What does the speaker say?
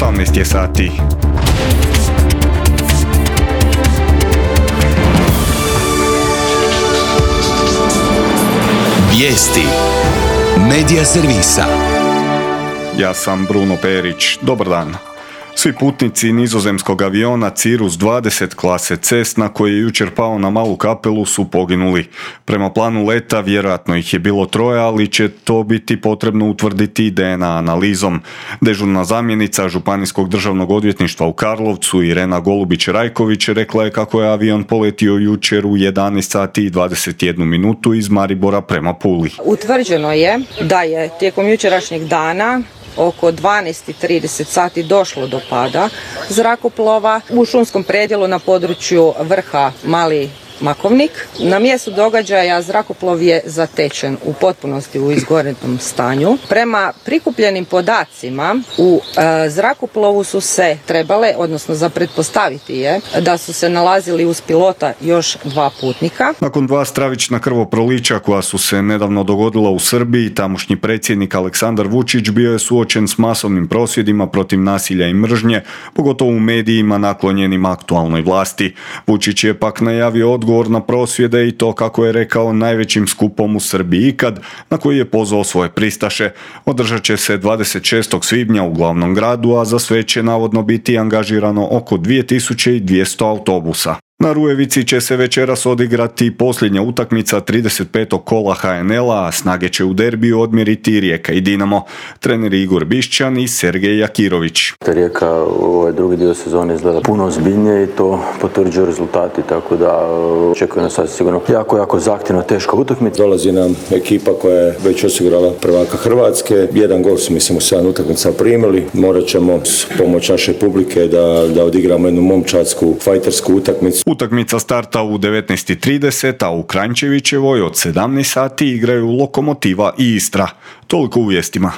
18 je sati. Vijesti Medija servisa. Ja sam Bruno Perić. Dobar dan. Svi putnici nizozemskog aviona Cirrus 20 klase Cessna koji je jučer pao na Malu Kapelu su poginuli. Prema planu leta vjerojatno ih je bilo 3, ali će to biti potrebno utvrditi DNA analizom. Dežurna zamjenica Županijskog državnog odvjetništva u Karlovcu Irena Golubić-Rajković rekla je kako je avion poletio jučer u 11 sati i 21 minutu iz Maribora prema Puli. Utvrđeno je da je tijekom jučerašnjeg dana oko 12:30 sati došlo do pada zrakoplova u šumskom predjelu na području vrha Mali Makovnik. Na mjestu događaja zrakoplov je zatečen u potpunosti u izgorenom stanju. Prema prikupljenim podacima u zrakoplovu su se trebale, odnosno za pretpostaviti je da su se nalazili uz pilota još 2 putnika. Nakon 2 stravična krvoprolića koja su se nedavno dogodila u Srbiji, tamošnji predsjednik Aleksandar Vučić bio je suočen s masovnim prosvjedima protiv nasilja i mržnje, pogotovo u medijima naklonjenim aktualnoj vlasti. Vučić je pak najavio odgovor na prosvjede i to, kako je rekao, najvećim skupom u Srbiji ikad, na koji je pozvao svoje pristaše. Održat će se 26. svibnja u glavnom gradu, a za sve će navodno biti angažirano oko 2200 autobusa. Na Rujevici će se večeras odigrati posljednja utakmica 35. kola HNL-a, a snage će u derbiju odmjeriti Rijeka i Dinamo. Treneri Igor Bišćan i Sergej Jakirović. Rijeka ovaj drugi dio sezone izgleda puno ozbiljnije i to potvrđuju rezultati, tako da očekuje nas sad sigurno jako zahtjevna, teška utakmica. Dolazi nam ekipa koja je već osigurala prvaka Hrvatske. 1 gol su, mislim, u 7 utakmica primili. Morat ćemo s pomoć naše publike da odigramo jednu momčadsku, fajtersku utakmicu. Utakmica starta u 19:30, a u Kranjčevićevoj od 17 sati igraju Lokomotiva i Istra. Toliko u vijestima.